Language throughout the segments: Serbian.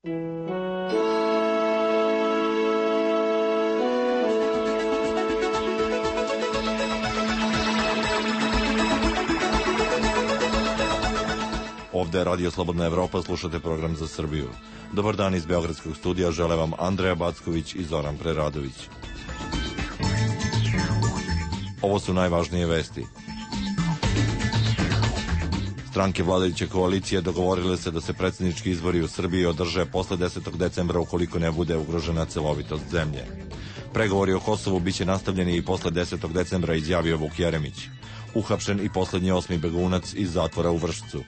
Ovde je Radio Slobodna Evropa, slušate program za Srbiju. Dobar dan iz Beogradskog studija, žele vam Andreja Backović i Zoran Preradović. Ovo su najvažnije vesti. Stranke vladajuće koalicije dogovorile se da se predsjednički izbori u Srbiji održe posle 10. decembra ukoliko ne bude ugrožena celovitost zemlje. Pregovori o Kosovu biće nastavljeni i posle 10. decembra, izjavio Vuk Jeremić. Uhapšen i poslednji 8. begunac iz zatvora u Vršcu.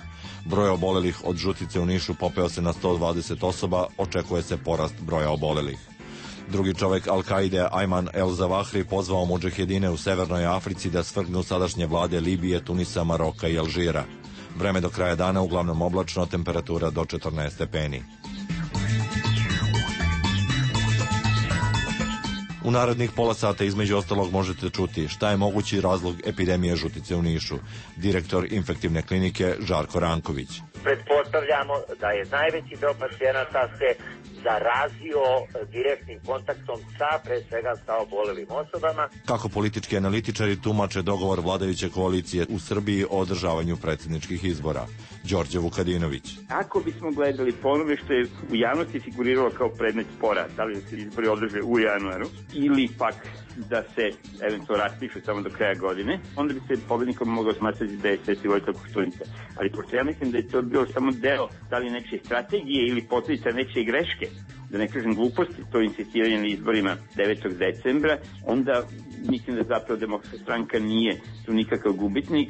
Broj obolelih od žutice u Nišu popeo se na 120 osoba, očekuje se porast broja obolelih. Drugi čovek Al-Kaide, Ajman El-Zavahri, pozvao mudžahedine u Severnoj Africi da svrgnu sadašnje vlade Libije, Tunisa, Maroka i Alžira. Vreme do kraja dana uglavnom oblačno, temperatura do 14 stepeni. U narednih pola sata između ostalog možete čuti šta je mogući razlog epidemije žutice u Nišu. Direktor infektivne klinike Žarko Ranković. Pretpostavljamo da je najveći deo pacijenata se zarazio direktnim kontaktom pre svega sa obolelim osobama. Kako politički analitičari tumače dogovor vladajuće koalicije u Srbiji o održavanju predsjedničkih izbora? Đorđe Vukadinović. Ako bismo gledali po onome što je u javnosti figuriralo kao predmet spora, da li da se izbori održe u januaru ili pak da se eventualno raspišu samo do kraja godine, onda bi se pobednikom mogao smatrati da je Sveti Vojislav Koštunica. Ali pošto ja mislim da je to bio samo deo da li nečije strategije ili posledica nečije greške, da ne kažem gluposti, to insistiranje na izborima 9. decembra, onda mislim da zapravo Demokratska stranka nije tu nikakav gubitnik.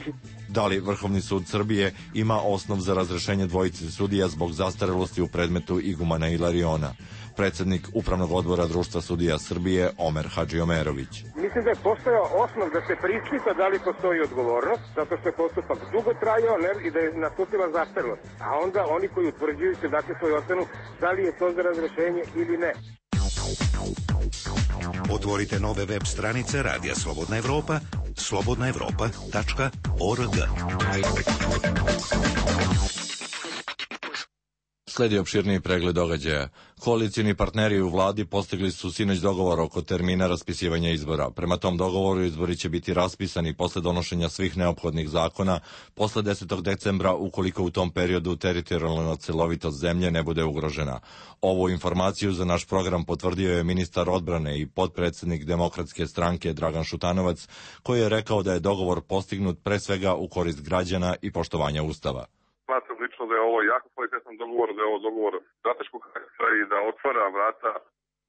Da li Vrhovni sud Srbije ima osnov za razrešenje dvojice sudija zbog zastarelosti u predmetu Igumana Ilariona? Predsednik Upravnog odbora Društva sudija Srbije Omer Hadžiomerović. Mislim da je postojao osnov da se preispita da li postoji odgovornost, zato što je postupak dugo trajao i da je nastupila zastarelost. A onda oni koji utvrđuju se dakle svoju ocenu da li je to za razrešenje ili ne. Otvorite nove web stranice Radija Slobodna Evropa, slobodnaevropa.org. Sledi opširniji pregled događaja. Koalicijni partneri u vladi postigli su sinoć dogovor oko termina raspisivanja izbora. Prema tom dogovoru izbori će biti raspisani posle donošenja svih neophodnih zakona posle 10. decembra ukoliko u tom periodu teritorijalna celovitost zemlje ne bude ugrožena. Ovu informaciju za naš program potvrdio je ministar odbrane i potpredsednik Demokratske stranke Dragan Šutanovac, koji je rekao da je dogovor postignut pre svega u korist građana i poštovanja Ustava. Smatram lično da je ovo jako kvalitetan dogovor, da je ovo dogovor strateškog karaktera i da otvara vrata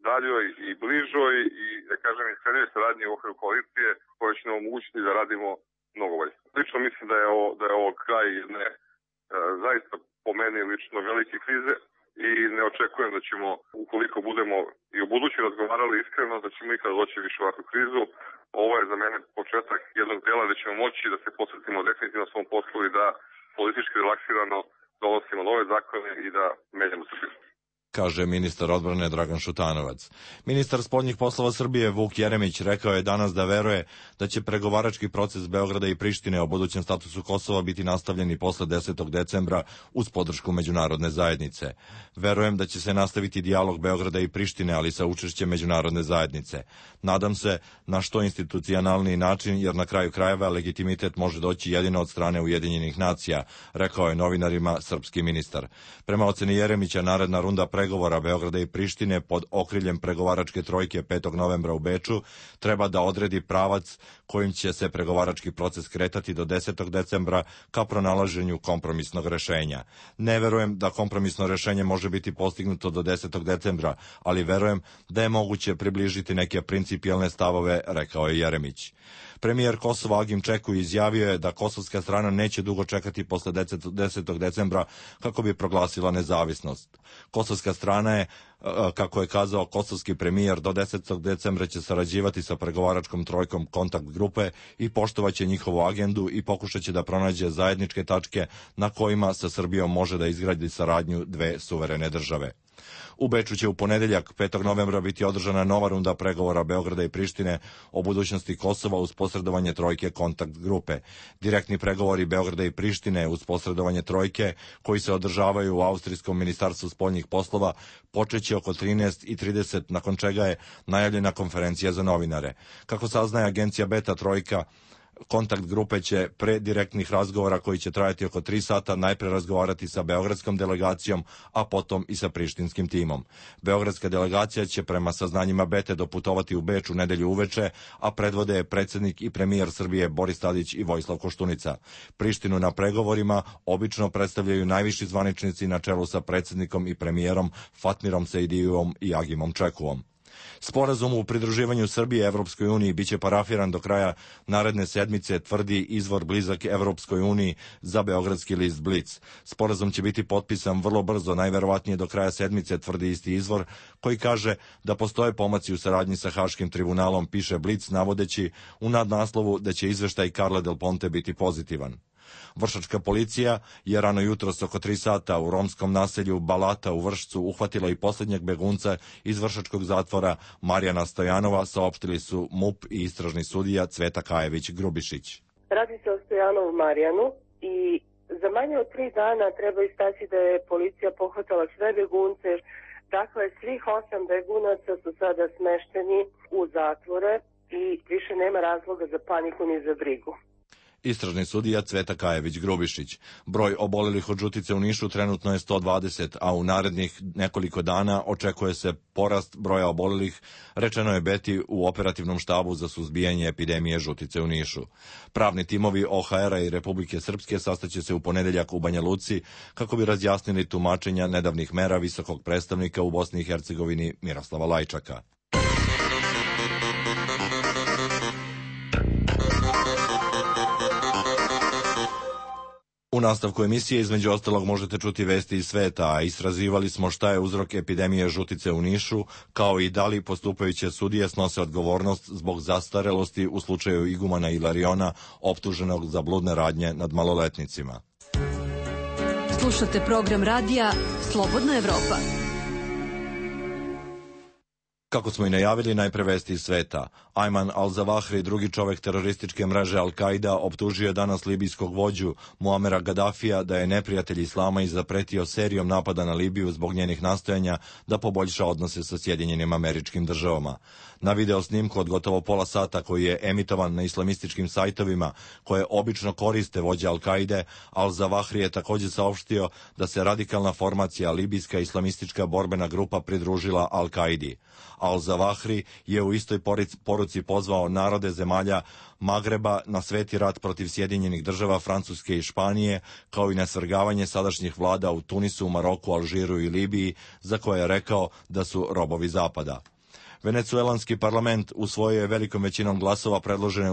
daljoj i bližoj i, da kažem, iskrenjoj saradnji u okviru koalicije koje će nam omogućiti da radimo mnogo bolje. Lično mislim da je ovo kraj jedne zaista po meni lično velike krize i ne očekujem da ćemo, ukoliko budemo i u budući razgovarali iskreno, da ćemo ikada doći više ovakvu krizu. Ovo je za mene početak jednog dela gde ćemo moći da se posvetimo definitivno svom poslu i da politički relaksirano donosimo nove zakone i da menjamo Srbiju, kaže ministar odbrane Dragan Šutanovac. Ministar spoljnih poslova Srbije Vuk Jeremić rekao je danas da veruje da će pregovarački proces Beograda i Prištine o budućem statusu Kosova biti nastavljeni posle 10. decembra uz podršku međunarodne zajednice. Verujem da će se nastaviti dijalog Beograda i Prištine, ali sa učešćem međunarodne zajednice. Nadam se na što institucionalniji način, jer na kraju krajeva legitimitet može doći jedino od strane Ujedinjenih nacija, rekao je novinarima srpski ministar. Prema oceni Jeremića, naredna runda pregovora Beograda i Prištine pod okriljem pregovaračke trojke 5. novembra u Beču treba da odredi pravac kojim će se pregovarački proces kretati do 10. decembra ka pronalaženju kompromisnog rešenja. Ne verujem da kompromisno rešenje može biti postignuto do 10. decembra, ali verujem da je moguće približiti neke principijelne stavove, rekao je Jeremić. Premijer Kosova Agim Čeku izjavio je da kosovska strana neće dugo čekati posle 10. decembra kako bi proglasila nezavisnost. Kosovska strana je Kako je kazao kosovski premijer, do 10. decembra će sarađivati sa pregovaračkom trojkom kontakt grupe i poštovaće njihovu agendu i pokušaće da pronađe zajedničke tačke na kojima sa Srbijom može da izgradi saradnju dve suverene države. U Beču će u ponedeljak 5. novembra biti održana nova runda pregovora Beograda i Prištine o budućnosti Kosova uz posredovanje trojke kontakt grupe. Direktni pregovori Beograda i Prištine uz posredovanje trojke, koji se održavaju u Austrijskom ministarstvu spoljnih poslova, počeće oko 13:30, nakon čega je najavljena konferencija za novinare. Kako saznaje agencija Beta, trojka kontakt grupe će pre direktnih razgovora koji će trajati oko 3 sata najpre razgovarati sa beogradskom delegacijom, a potom i sa prištinskim timom. Beogradska delegacija će prema saznanjima Bete doputovati u Beč u nedelju uveče, a predvode je predsjednik i premijer Srbije Boris Tadić i Vojislav Koštunica. Prištinu na pregovorima obično predstavljaju najviši zvaničnici na čelu sa predsjednikom i premijerom Fatmirom Sejdijevom i Agimom Čekuom. Sporazum u pridruživanju Srbije Evropskoj uniji biće parafiran do kraja naredne sedmice, tvrdi izvor blizak Evropskoj uniji za beogradski list Blic. Sporazum će biti potpisan vrlo brzo, najverovatnije do kraja sedmice, tvrdi isti izvor, koji kaže da postoje pomaci u saradnji sa Haškim tribunalom, piše Blic, navodeći u nadnaslovu da će izveštaj Carla Del Ponte biti pozitivan. Vršačka policija je rano jutros oko 3 sata u romskom naselju Balata u Vršcu uhvatila i posljednjeg begunca iz vršačkog zatvora Marijana Stojanova, saopštili su MUP i istražni sudija Cveta Kajević-Grubišić. Radi se o Stojanovu Marijanu i za manje od 3 dana treba istaći da je policija pohvatala sve begunce. Dakle, svih 8 begunaca su sada smešteni u zatvore i više nema razloga za paniku ni za brigu. Istražni sudija Cveta Kajević-Grubišić. Broj obolelih od žutice u Nišu trenutno je 120, a u narednih nekoliko dana očekuje se porast broja obolelih, rečeno je Beti u operativnom štabu za suzbijanje epidemije žutice u Nišu. Pravni timovi OHR-a i Republike Srpske sastaće se u ponedeljak u Banja Luci kako bi razjasnili tumačenja nedavnih mera visokog predstavnika u Bosni i Hercegovini Miroslava Lajčaka. U nastavku emisije između ostalog možete čuti vesti iz sveta, a istraživali smo šta je uzrok epidemije žutice u Nišu, kao i da li postupajuće sudije snose odgovornost zbog zastarelosti u slučaju igumana Ilariona optuženog za bludne radnje nad maloletnicima. Slušate program radija Slobodna Evropa. Kako smo i najavili, najpre vesti iz sveta. Ajman al-Zawahri, drugi čovek terorističke mreže Al-Qaida, optužio je danas libijskog vođu Muamera Gaddafija da je neprijatelj islama i zapretio serijom napada na Libiju zbog njenih nastojanja da poboljša odnose sa Sjedinjenim Američkim Državama. Na video snimku od gotovo pola sata koji je emitovan na islamističkim sajtovima koje obično koriste vođe Al-Qaide, al-Zawahri je također saopštio da se radikalna formacija libijska islamistička borbena grupa pridružila Al-Qaidi. Al-Zawahri je u istoj poruci pozvao narode zemalja Magreba na sveti rat protiv Sjedinjenih Država, Francuske i Španije, kao i na svrgavanje sadašnjih vlada u Tunisu, Maroku, Alžiru i Libiji, za koje je rekao da su robovi Zapada. Venecuelanski parlament usvojio je velikom većinom glasova predložene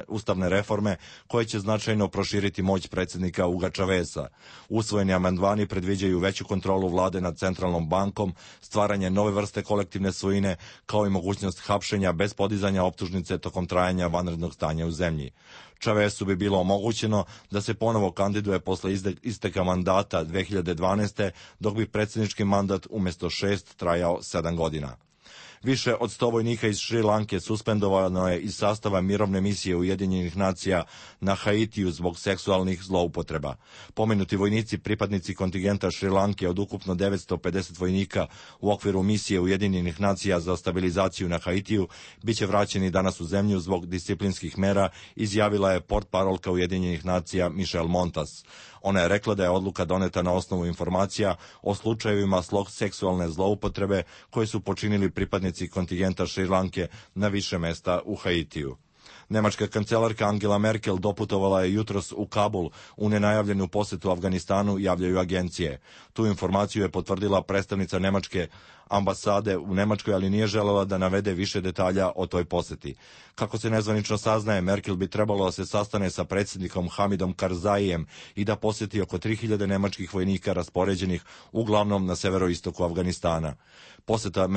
ustavne reforme koje će značajno proširiti moć predsjednika Huga Chaveza. Usvojeni amandmani predviđaju veću kontrolu vlade nad centralnom bankom, stvaranje nove vrste kolektivne svojine, kao i mogućnost hapšenja bez podizanja optužnice tokom trajanja vanrednog stanja u zemlji. Chavezu bi bilo omogućeno da se ponovo kandiduje posle isteka mandata 2012. dok bi predsjednički mandat umjesto 6 trajao 7 godina. Više od 100 vojnika iz Šri Lanke suspendovano je iz sastava mirovne misije Ujedinjenih nacija na Haitiju zbog seksualnih zloupotreba. Pomenuti vojnici, pripadnici kontingenta Šri Lanke od ukupno 950 vojnika u okviru misije Ujedinjenih nacija za stabilizaciju na Haitiju, bit će vraćeni danas u zemlju zbog disciplinskih mera, izjavila je portparolka Ujedinjenih nacija Michelle Montas. Ona je rekla da je odluka doneta na osnovu informacija o slučajevima seksualne zloupotrebe koje su počinili pripadnici kontingenta Šri Lanke na više mesta u Haitiju. Nemačka kancelarka Angela Merkel doputovala je jutros u Kabul u nenajavljenu posetu Afganistanu, javljaju agencije. Tu informaciju je potvrdila predstavnica Nemačke ambasade u Nemačkoj, ali nije želela da navede više detalja o toj poseti. Kako se nezvanično saznaje, Merkel bi trebalo da se sastane sa predsjednikom Hamidom Karzaijem i da posjeti oko 3000 nemačkih vojnika raspoređenih uglavnom na severoistoku Afganistana. Poseta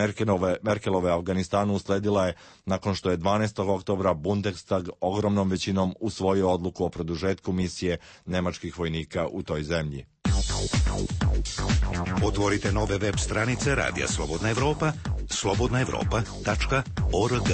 Merkelove Afganistanu usledila je nakon što je 12. oktobra Bundestag ogromnom većinom usvojio odluku o produžetku misije nemačkih vojnika u toj zemlji. Otvorite nove web stranice Radija Slobodna Evropa, slobodnaevropa.org.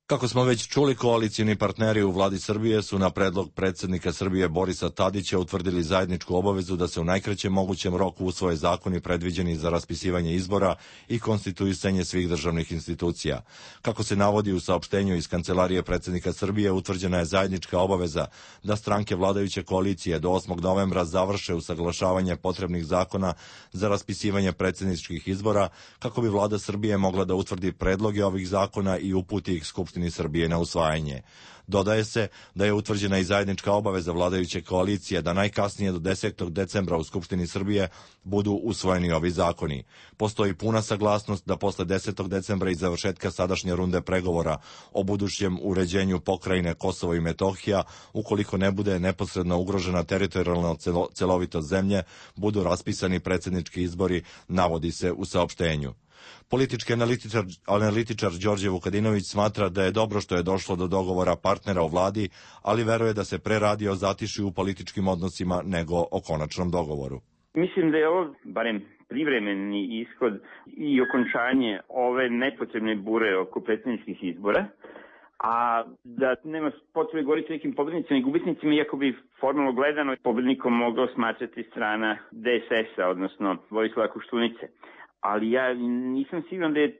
Kako smo već čuli, koalicijni partneri u vladi Srbije su na predlog predsjednika Srbije Borisa Tadića utvrdili zajedničku obavezu da se u najkraćem mogućem roku usvoje zakoni predviđeni za raspisivanje izbora i konstituisanje svih državnih institucija. Kako se navodi u saopštenju iz Kancelarije predsjednika Srbije, utvrđena je zajednička obaveza da stranke vladajuće koalicije do 8. novembra završe usaglašavanje potrebnih zakona za raspisivanje predsjedničkih izbora, kako bi vlada Srbije mogla da utvrdi predloge ovih zakona i uputi ih Skupštini Srbije na usvajanje. Dodaje se da je utvrđena i zajednička obaveza vladajuće koalicije da najkasnije do 10. decembra u Skupštini Srbije budu usvojeni ovi zakoni. Postoji puna saglasnost da posle 10. decembra i završetka sadašnje runde pregovora o budućem uređenju pokrajine Kosovo i Metohija, ukoliko ne bude neposredno ugrožena teritorijalna celovitost zemlje, budu raspisani predsjednički izbori, navodi se u saopštenju. Politički analitičar Đorđe Vukadinović smatra da je dobro što je došlo do dogovora partnera u vladi, ali veruje da se pre radi o zatišju u političkim odnosima nego o konačnom dogovoru. Mislim da je ovo, barem privremeni ishod i okončanje ove nepotrebne bure oko predsjedničkih izbora, a da nema potrebe govoriti o nekim pobednicima i gubitnicima, iako bi formalno gledano pobednikom mogao smatrati strana DSS-a, odnosno Vojislava Koštunice. Ali ja nisam siguran da je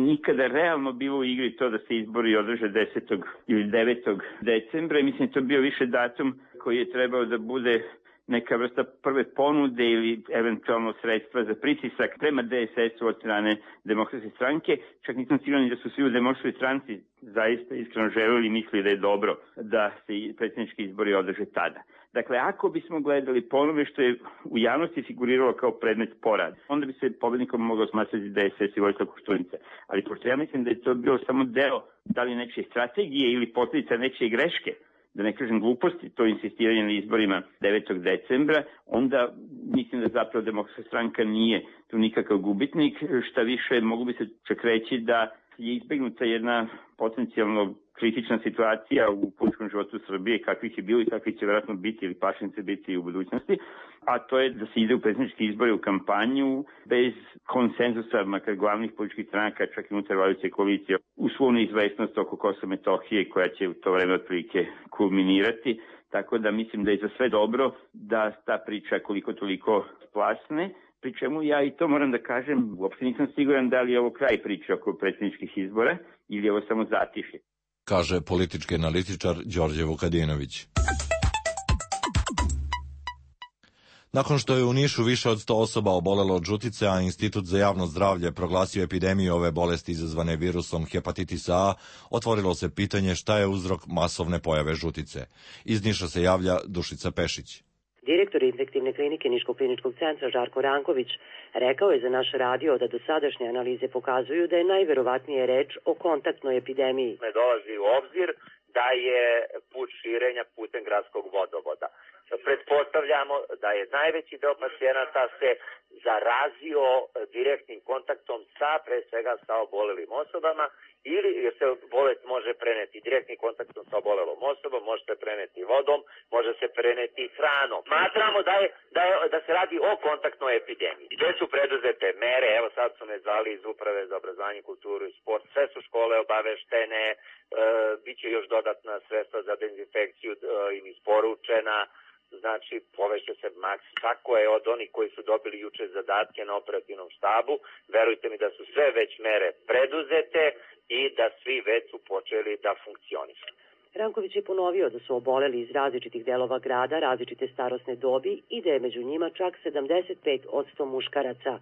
nikada realno bilo u igri to da se izbori održe 10. ili 9. decembra i mislim da to bio više datum koji je trebao da bude neka vrsta prve ponude ili eventualno sredstva za pritisak prema DSS-u od strane Demokratske stranke. Čak nisam siguran da su svi u Demokratskoj stranci zaista iskreno želeli i mislili da je dobro da se predsjednički izbori održe tada. Dakle, ako bismo gledali po onome što je u javnosti figuriralo kao predmet porad, onda bi se pobednikom mogao smatrati DSS i Vojislav Koštunica. Ali pošto ja mislim da je to bilo samo deo da li nečije strategije ili posljedica nečije greške, da ne kažem gluposti, to insistiranje na izborima 9. decembra, onda mislim da zapravo Demokratska stranka nije tu nikakav gubitnik. Šta više, mogu bi se čak reći da je izbegnuta jedna potencijalno kritična situacija u političkom životu Srbije, kakvih je bilo i kakvih će vjerojatno biti ili pašnice biti u budućnosti, a to je da se ide u predsjedničke izbore u kampanju bez konsenzusa, makar glavnih političkih stranaka, čak i unutar vladajuće koalicije, u svu neizvesnost oko Kosova i Metohije koja će u to vreme otprilike kulminirati. Tako da mislim da je za sve dobro da ta priča koliko toliko splasne. Pri čemu ja i to moram da kažem, uopšte nisam siguran da li je ovo kraj priče oko predsjedničkih izbora ili je ovo samo zatišje, kaže politički analitičar Đorđe Vukadinović. Nakon što je u Nišu više od 100 osoba obolelo od žutice, a Institut za javno zdravlje proglasio epidemiju ove bolesti izazvane virusom hepatitisa A, otvorilo se pitanje šta je uzrok masovne pojave žutice. Iz Niša se javlja Dušica Pešić. Direktor infektivne klinike Niškog kliničkog centra Žarko Ranković rekao je za naš radio da dosadašnje analize pokazuju da je najverovatnije reč o kontaktnoj epidemiji. Ne dolazi u obzir da je put širenja putem gradskog vodovoda. Pretpostavljamo da je najveći deo pacijenata se zarazio direktnim kontaktom sa, pre svega, sa obolelim osobama, ili jer se bolest može preneti direktnim kontaktom sa obolelom osobom, može se preneti vodom, može se preneti hranom. Smatramo da se radi o kontaktnoj epidemiji. Gde su preduzete mere, evo sad su me zvali iz Uprave za obrazovanje, kulturu i sport, sve su škole obaveštene, biće još dodatna sredstva za dezinfekciju im isporučena. Znači, poveće se maks. Tako je od onih koji su dobili juče zadatke na operativnom štabu. Verujte mi da su sve već mere preduzete i da svi već su počeli da funkcionišu. Ranković je ponovio da su oboleli iz različitih delova grada, različite starosne dobi i da je među njima čak 75% muškaraca.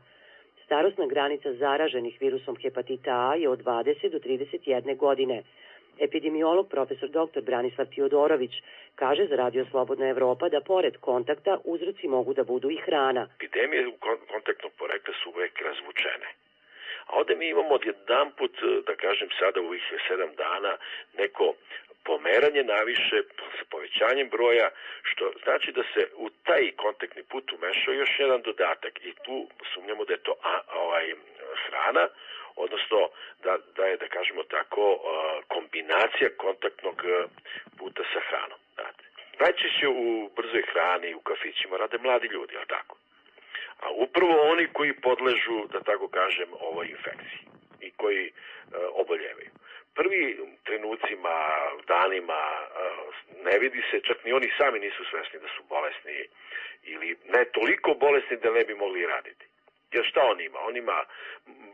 Starosna granica zaraženih virusom hepatita A je od 20 do 31 godine. Epidemiolog profesor dr. Branislav Tiodorović kaže za Radio Slobodna Evropa da pored kontakta uzroci mogu da budu i hrana. Epidemije kontaktnog porekla su uvek razvučene. A ovde mi imamo odjedanput, da kažem sada u ovih 7 dana, neko pomeranje naviše sa povećanjem broja, što znači da se u taj kontaktni put umešao još jedan dodatak i tu sumnjamo da je to hrana, odnosno da je, da kažemo tako, kombinacija kontaktnog puta sa hranom. Najčešće u brzoj hrani, u kafićima rade mladi ljudi, ali tako? A upravo oni koji podležu, da tako kažem, ovoj infekciji i koji oboljevaju. Prvi trenucima, danima ne vidi se, čak ni oni sami nisu svesni da su bolesni ili ne toliko bolesni da ne bi mogli raditi. Jer šta on ima? On ima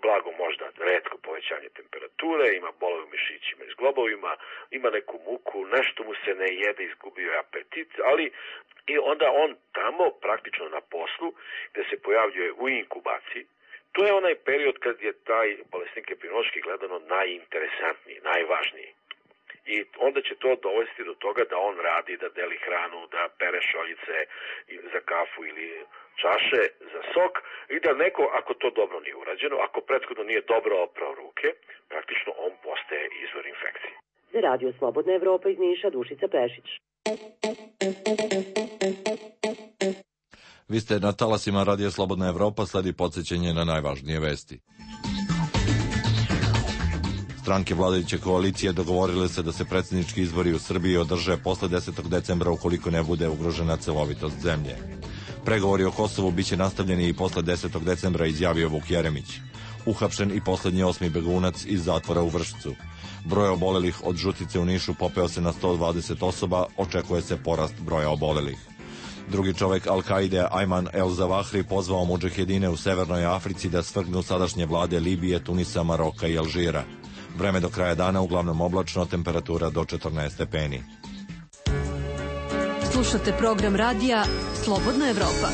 blago možda retko povećanje temperature, ima bolove u mišićima i zglobovima, ima neku muku, nešto mu se ne jede, izgubio je apetit, ali i onda on tamo praktično na poslu gde se pojavljuje u inkubaciji. To je onaj period kad je taj bolesnik epidemiološki gledano najinteresantniji, najvažniji. I onda će to dovesti do toga da on radi, da deli hranu, da pere šoljice za kafu ili čaše za sok i da neko, ako to dobro nije urađeno, ako prethodno nije dobro oprao ruke, praktično on postaje izvor infekcije. Za Radio Slobodna Evropa iz Niša, Dušica Pešić. Vi ste na talasima Radio Slobodna Evropa, sledi podsjećanje na najvažnije vesti. Stranke vladajuće koalicije dogovorile se da se predsjednički izbori u Srbiji održe posle 10. decembra ukoliko ne bude ugrožena celovitost zemlje. Pregovori o Kosovu biće nastavljeni i posle 10. decembra, izjavio Vuk Jeremić. Uhapšen i poslednji 8. begunac iz zatvora u Vršcu. Broj obolelih od žutice u Nišu popeo se na 120 osoba, očekuje se porast broja obolelih. Drugi čovek Al-Kaide, Ayman el-Zawahri, pozvao mudžahedine u Severnoj Africi da svrgnu sadašnje vlade Libije, Tunisa, Maroka i Alžira. Vreme do kraja dana uglavnom oblačno, temperatura do 14 stepeni. Slušate program radija Slobodna Evropa.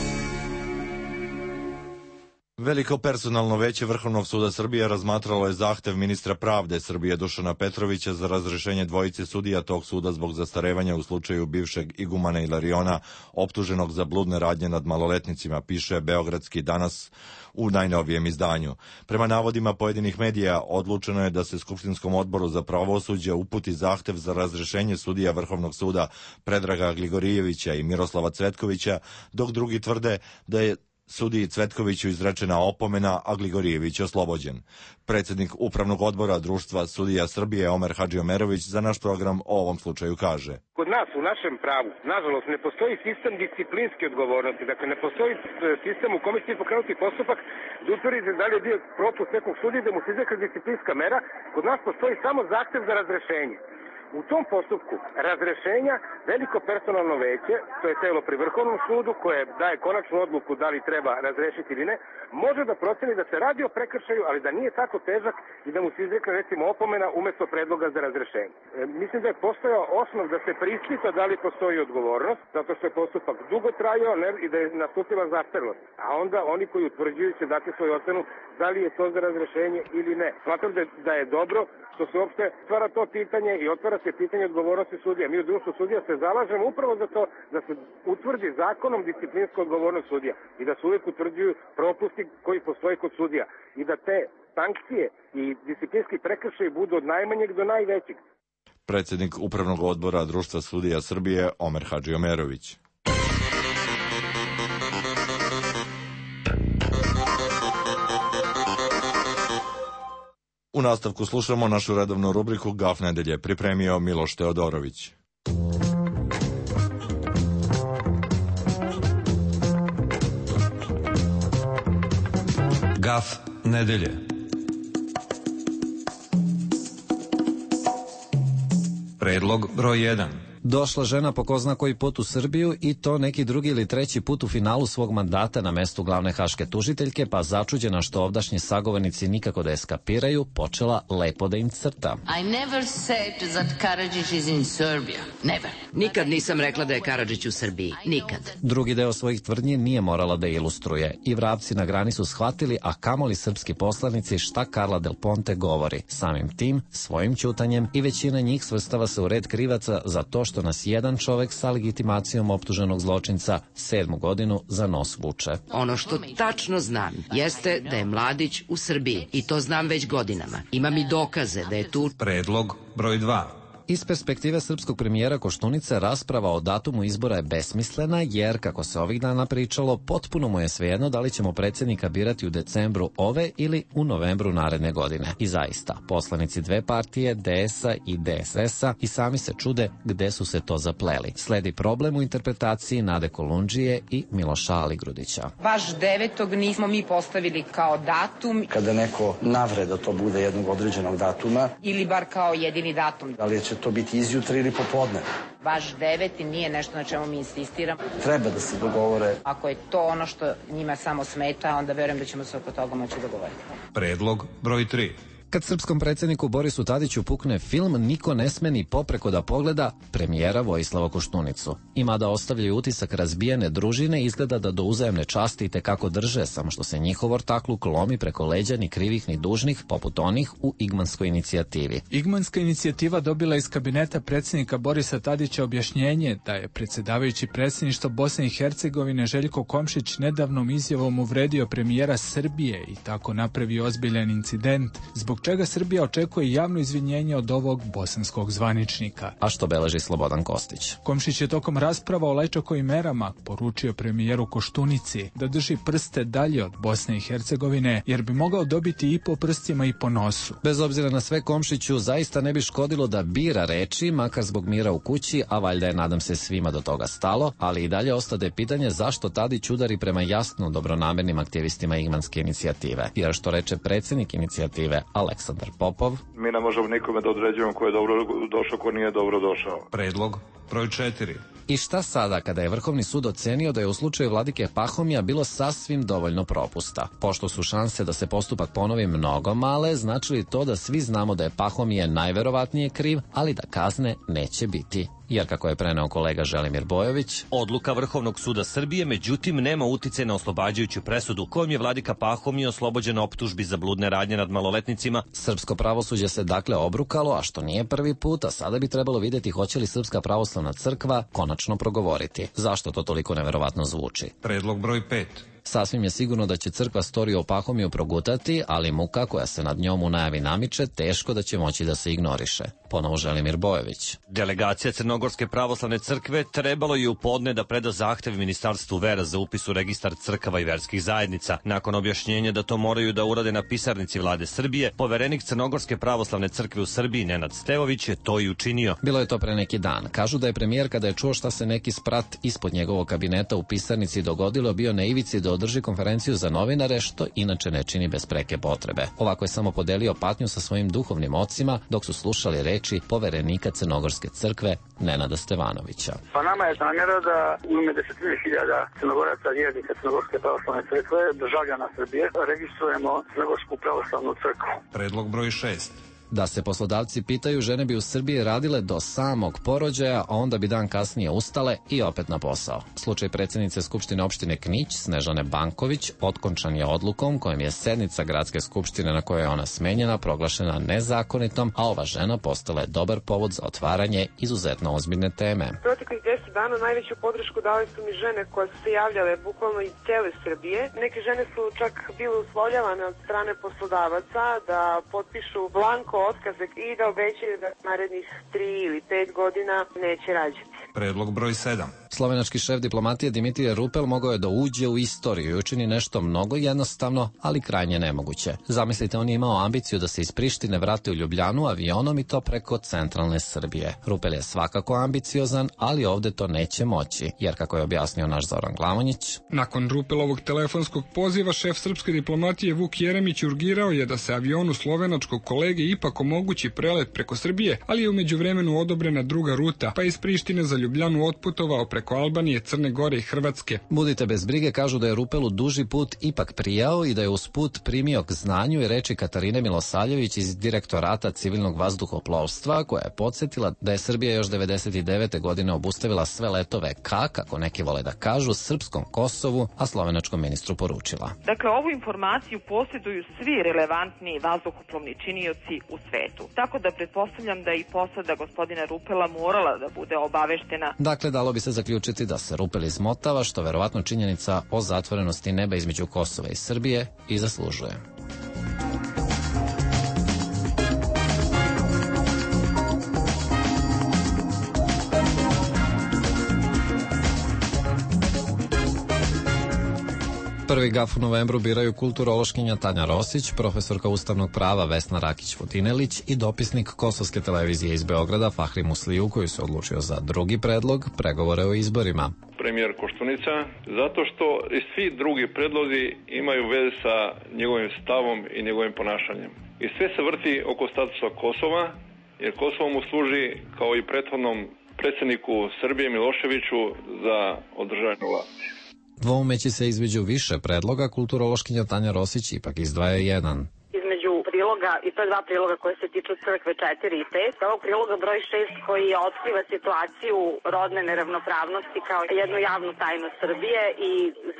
Veliko personalno veće Vrhovnog suda Srbije razmatralo je zahtev ministra pravde Srbije Dušana Petrovića za razrešenje dvojice sudija tog suda zbog zastarevanja u slučaju bivšeg igumana Ilariona, optuženog za bludne radnje nad maloletnicima, piše Beogradski danas u najnovijem izdanju. Prema navodima pojedinih medija, odlučeno je da se Skupštinskom odboru za pravosuđe uputi zahtev za razrešenje sudija Vrhovnog suda Predraga Gligorijevića i Miroslava Cvetkovića, dok drugi tvrde da je sudiji Cvetkoviću izrečena opomena, a Gligorijević oslobođen. Predsjednik Upravnog odbora Društva sudija Srbije Omer Hadžiomerović za naš program o ovom slučaju kaže: Kod nas u našem pravu, nažalost, ne postoji sistem disciplinske odgovornosti, dakle ne postoji sistem u kome će pokrenuti postupak da utvrdite da li je bio propust nekog sudije, da mu se izrekla disciplinska mera. Kod nas postoji samo zahtev za razrešenje. U tom postupku razrešenja veliko personalno veće, to je telo pri Vrhovnom sudu koje daje konačnu odluku da li treba razrešiti ili ne, može da proceni da se radi o prekršaju, ali da nije tako težak i da mu se izrekne recimo opomena umesto predloga za razrešenje. Mislim da je postojao osnov da se preispita da li postoji odgovornost, zato što je postupak dugo trajao i da je nastupila zastarelost. A onda oni koji utvrđuju će dati svoju ocenu da li je to za razrešenje ili ne. Smatram da je dobro što se uopšte stvara to pitanje i otvara se pitanje odgovornosti sudija. Mi u Društvu sudija se zalažemo upravo za to da se utvrdi zakonom disciplinska odgovornost sudija i da se uvijek utvrđuju propusti koji postoje kod sudija i da te sankcije i disciplinski prekršaji budu od najmanjeg do najvećeg. Predsjednik Upravnog odbora Društva sudija Srbije Omer Hadžiomerović. U nastavku slušamo našu redovnu rubriku Gaf nedelje, pripremio Miloš Teodorović. Gaf nedelje. Predlog broj 1. Došla žena po ko zna koji put u Srbiju i to neki drugi ili treći put u finalu svog mandata na mestu glavne haške tužiteljke, pa začuđena što ovdašnji sagovornici nikako da je skapiraju, počela lepo da im crta. I never said that Karadžić is in Serbia. Never. Nikad nisam rekla da je Karadžić u Srbiji. Nikad. Drugi deo svojih tvrdnji nije morala da ilustruje. I vrapci na grani su shvatili, a kamoli srpski poslanici, šta Carla Del Ponte govori. Samim tim, svojim ćutanjem, i većina njih svrstava se u red krivaca za to što nas jedan čovek sa legitimacijom optuženog zločinca 7. godinu za nos vuče. Ono što tačno znam jeste da je Mladić u Srbiji i to znam već godinama. Imam i dokaze da je tu. Predlog broj 2. Iz perspektive srpskog premijera Koštunice rasprava o datumu izbora je besmislena jer, kako se ovih dana pričalo, potpuno mu je svejedno da li ćemo predsjednika birati u decembru ove ili u novembru naredne godine. I zaista, poslanici dve partije, DS-a i DSS-a, i sami se čude gde su se to zapleli. Sledi problem u interpretaciji Nade Kolundžije i Miloša Aligrudića. Baš 9. nismo mi postavili kao datum. Kada neko navre da to bude jednog određenog datuma. Ili bar kao jedini datum. Da li će to biti izjutra ili popodne? Baš 9. nije nešto na čemu mi insistiramo. Treba da se dogovore. Ako je to ono što njima samo smeta, onda verujem da ćemo se oko toga moći dogovoriti. Predlog broj 3. Kad srpskom predsjedniku Borisu Tadiću pukne film, niko ne sme ni popreko da pogleda premijera Vojislava Koštunicu. I mada ostavljaju utisak razbijene družine, izgleda da do uzajemne časti i tekako drže, samo što se njihov ortakluk lomi preko leđa ni krivih ni dužnih, poput onih u Igmanskoj inicijativi. Igmanska inicijativa dobila iz kabineta predsjednika Borisa Tadića objašnjenje da je predsjedavajući predsjedništva Bosne i Hercegovine Željko Komšić nedavnom izjavom uvredio premijera Srbije i tako napravio ozbiljan incident, zbog čega Srbija očekuje javno izvinjenje od ovog bosanskog zvaničnika. A što beleži Slobodan Kostić? Komšić je tokom rasprava o Lajčakovim merama poručio premijeru Koštunici da drži prste dalje od Bosne i Hercegovine, jer bi mogao dobiti i po prstima i po nosu. Bez obzira na sve, Komšiću zaista ne bi škodilo da bira reči, makar zbog mira u kući, a valjda je, nadam se, svima do toga stalo, ali i dalje ostade pitanje zašto Tadić udari prema jasno dobronamernim aktivistima Igmanske inicijative. Jer što reče predsjednik inicijative Aleksandar Popov: mi ne možemo nikome da određujemo ko je dobro došao, ko nije dobro došao. Predlog broj 4. I šta sada kada je Vrhovni sud ocenio da je u slučaju vladike Pahomija bilo sasvim dovoljno propusta? Pošto su šanse da se postupak ponovi mnogo male, znači li to da svi znamo da je Pahomije najverovatnije kriv, ali da kazne neće biti? Jer, kako je preneo kolega Želimir Bojović, odluka Vrhovnog suda Srbije međutim nema utice na oslobađajuću presudu kojom je vladika Pahomije oslobođen optužbi za bludne radnje nad maloletnicima. Srpsko pravosuđe se dakle obrukalo, a što nije prvi put, a sada bi trebalo vidjeti hoće li Srpska pravoslavna crkva konačno progovoriti. Zašto to toliko neverovatno zvuči? Predlog broj 5. Sasvim je sigurno da će crkva storiju o Pahomiju progutati, ali muka koja se nad njom u najavi namiče teško da će moći da se ignoriše. Ponovo Želimir Bojović. Delegacija Crnogorske pravoslavne crkve trebalo je u podne da preda zahtev Ministarstvu vera za upis u registar crkava i verskih zajednica. Nakon objašnjenja da to moraju da urade na pisarnici vlade Srbije, poverenik Crnogorske pravoslavne crkve u Srbiji Nenad Stevović je to i učinio. Bilo je to pre neki dan. Kažu da je premijer, kada je čuo šta se neki sprat ispod njegovog kabineta u pisarnici dogodilo, bio na ivici da održi konferenciju za novinare, što inače ne čini bez preke potrebe. Ovako je samo podelio patnju sa svojim duhovnim ocima dok su slušali reči poverenika Crnogorske crkve Nenada Stevanovića. Pa nama je namjera da u ime 10.000 Crnogoraca, vjernika Crnogorske pravoslavne crkve, državljana Srbije, registrujemo Crnogorsku pravoslavnu crkvu. Predlog broj 6. Da se poslodavci pitaju, žene bi u Srbiji radile do samog porođaja, a onda bi dan kasnije ustale i opet na posao. Slučaj predsjednice Skupštine opštine Knić, Snežane Banković, otkončan je odlukom kojom je sednica gradske skupštine na kojoj je ona smenjena proglašena nezakonitom, a ova žena postala je dobar povod za otvaranje izuzetno ozbiljne teme. Proteklih 10 dana najveću podršku dali su mi žene koje su se javljale bukvalno iz cele Srbije. Neke žene su čak bile uslovljavane od strane poslodavaca da potpišu blanko otkaze i da obećaju da narednih 3 ili 5 godina neće rađati. Predlog broj 7. Slovenački šef diplomatije Dimitrije Rupel mogao je da uđe u istoriju i učini nešto mnogo jednostavno, ali krajnje nemoguće. Zamislite, on je imao ambiciju da se iz Prištine vrati u Ljubljanu avionom i to preko centralne Srbije. Rupel je svakako ambiciozan, ali ovde to neće moći, jer kako je objasnio naš Zoran Glamonjić. Nakon Rupelovog telefonskog poziva, šef srpske diplomatije Vuk Jeremić urgirao je da se avionu slovenačkog kolege ipak omogući prelet preko Srbije, ali je u međuvremenu odobrena druga ruta, pa iz Prištine za Ljubljanu otputovao preko Albanije, Crne Gore i Hrvatske. Budite bez brige, kažu da je Rupelu duži put ipak prijao i da je uz put primio k znanju i reči Katarine Milosavljević iz Direktorata civilnog vazduhoplovstva, koja je podsjetila da je Srbija još 99. godine obustavila sve letove ka, kako neki vole da kažu, srpskom Kosovu, a slovenačkom ministru poručila. Dakle, ovu informaciju posjeduju svi relevantni vazduhoplovni činioci u svetu. Tako da pretpostavljam da i posada gospodina Rupela morala da bude obaveštena. Dakle, dalo bi se zaključiti da se Rupel izmotava, što verovatno činjenica o zatvorenosti neba između Kosova i Srbije i zaslužuje. Prvi gaf u novembru biraju kulturološkinja Tanja Rosić, profesorka ustavnog prava Vesna Rakić-Vodinelić i dopisnik Kosovske televizije iz Beograda Fahri Musliju, koji se odlučio za drugi predlog, pregovore o izborima. Premijer Koštunica, zato što i svi drugi predlozi imaju veze sa njegovim stavom i njegovim ponašanjem. I sve se vrti oko statusa Kosova, jer Kosovo mu služi kao i prethodnom predsjedniku Srbije Miloševiću za održavanje vlasti. Dvoumeći se između više predloga, kulturološkinja Tanja Rosić ipak izdvaja jedan. Između priloga, i to je dva priloga koje se tiču crkve 4 i 5, ovog priloga broj 6 koji otkriva situaciju rodne neravnopravnosti kao jednu javnu tajnu Srbije i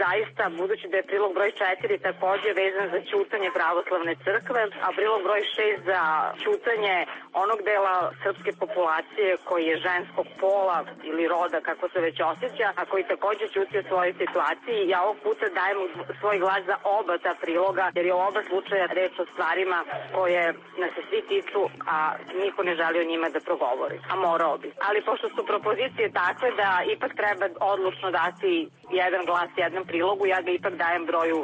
zaista, budući da je prilog broj 4 takođe vezan za ćutanje pravoslavne crkve, a prilog broj 6 za ćutanje onog dela srpske populacije koji je ženskog pola ili roda, kako se već osjeća, a koji takođe ćuti o svojoj situaciji, ja ovog puta dajem svoj glas za oba ta priloga, jer je u oba slučaja reč o stvarima koje nas se svi tiču, a niko ne želi o njima da progovori, a morao bi. Ali pošto su propozicije takve da ipak treba odlučno dati jedan glas jednom prilogu, ja ga ipak dajem broju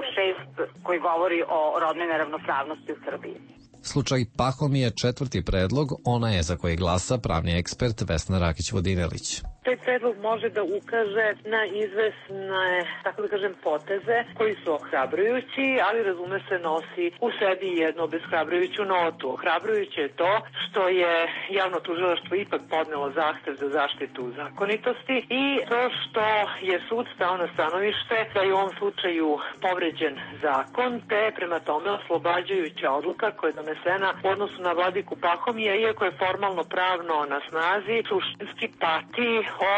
6 koji govori o rodnoj neravnopravnosti u Srbiji. Slučaj Pahomije je četvrti predlog, ona je za koji glasa pravni ekspert Vesna Rakić-Vodinelić. Taj predlog može da ukaže na izvesne, tako da kažem, poteze koji su ohrabrujući, ali razume se nosi u sebi jednu obeshrabrujuću notu. Ohrabrujuće je to što je javno tužilaštvo ipak podnelo zahtev za zaštitu zakonitosti i to što je sud stao na stanovište da je u ovom slučaju povređen zakon, te prema tome oslobađajuća odluka koja je donesena u odnosu na vladiku Pahomija, iako je formalno pravno na snazi, suštinski pati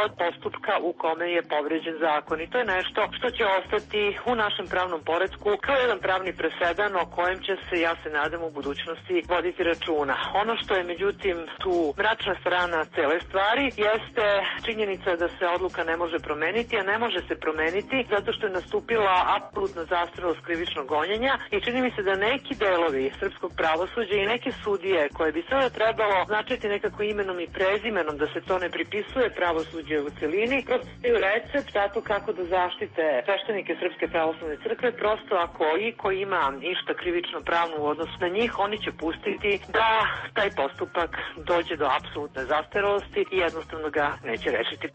od postupka u kome je povređen zakon. I to je nešto što će ostati u našem pravnom poretku kao jedan pravni presedan o kojem će se, ja se nadam, u budućnosti voditi računa. Ono što je međutim tu mračna strana cele stvari jeste činjenica da se odluka ne može promeniti, a ne može se promeniti zato što je nastupila apsolutna zastarelost krivičnog gonjenja i čini mi se da neki delovi srpskog pravosuđa i neke sudije koje bi sada trebalo značiti nekako imenom i prezimenom da se to ne pripisuje pravosuđe u celini, prosto recept zato kako da zaštite sveštenike Srpske pravoslavne crkve, prosto ako iko ima ništa krivično pravno u odnosu na njih, oni će pustiti da taj postupak dođe do apsolutne zastarelosti i jednostavno ga neće rešiti.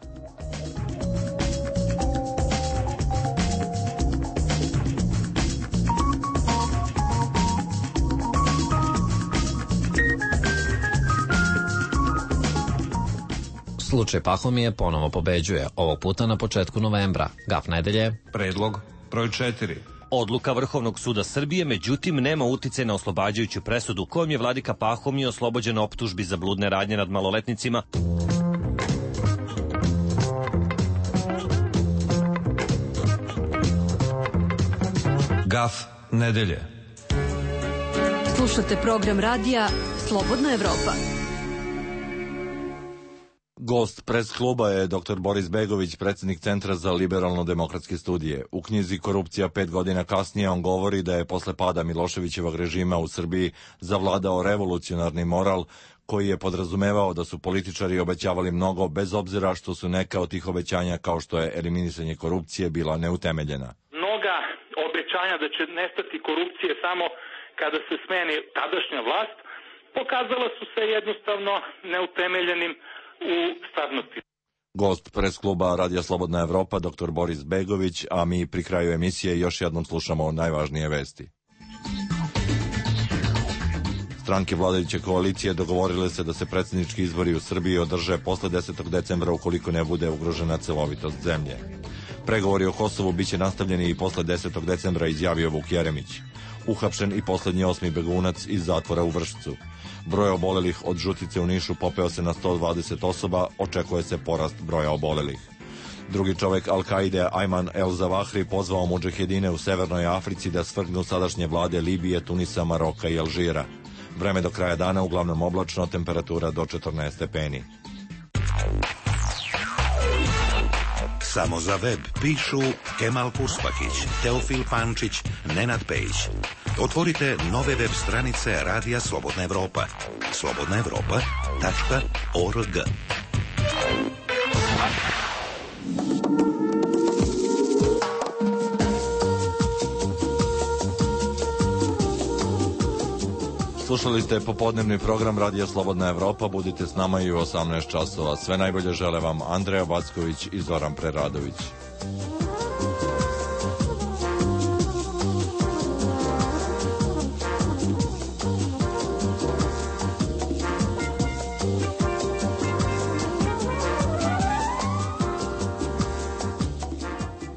Slučaj Pahomije ponovo pobeđuje, ovog puta na početku novembra. Gaf nedelje. Predlog broj 4. Odluka Vrhovnog suda Srbije, međutim, nema uticaj na oslobađajuću presudu kojom je vladika Pahomije oslobođen optužbi za bludne radnje nad maloletnicima. Gaf nedelje. Slušate program radija Slobodna Evropa. Gost pres kluba je dr. Boris Begović, predsjednik Centra za liberalno-demokratske studije. U knjizi Korupcija 5 godina kasnije on govori da je posle pada Miloševićevog režima u Srbiji zavladao revolucionarni moral koji je podrazumevao da su političari obećavali mnogo bez obzira što su neka od tih obećanja, kao što je eliminisanje korupcije, bila neutemeljena. Mnoga obećanja da će nestati korupcije samo kada se smeni tadašnja vlast, pokazala su se jednostavno neutemeljenim u stvarnosti. Gost pres kluba Radija Slobodna Evropa, dr. Boris Begović, a mi pri kraju emisije još jednom slušamo najvažnije vesti. Stranke vladajuće koalicije dogovorile se da se predsjednički izbori u Srbiji održe posle 10. decembra ukoliko ne bude ugrožena celovitost zemlje. Pregovori o Kosovu biće nastavljeni i posle 10. decembra, izjavio Vuk Jeremić. Uhapšen i poslednji 8. begunac iz zatvora u Vršcu. Broj obolelih od žutice u Nišu popeo se na 120 osoba, očekuje se porast broja obolelih. Drugi čovek Al-Kaide, Ayman el-Zawahri, pozvao mudžahedine u Severnoj Africi da svrgnu sadašnje vlade Libije, Tunisa, Maroka i Alžira. Vreme do kraja dana uglavnom oblačno, temperatura do 14 stepeni. Samo za web pišu Kemal Kuspahić, Teofil Pančić, Nenad Pejić. Otvorite nove web stranice Radija Slobodna Evropa. slobodnaevropa.org. Slušali ste popodnevni program Radija Slobodna Evropa. Budite s nama i u 18 časova. Sve najbolje žele vam Andreja Backović i Zoran Preradović.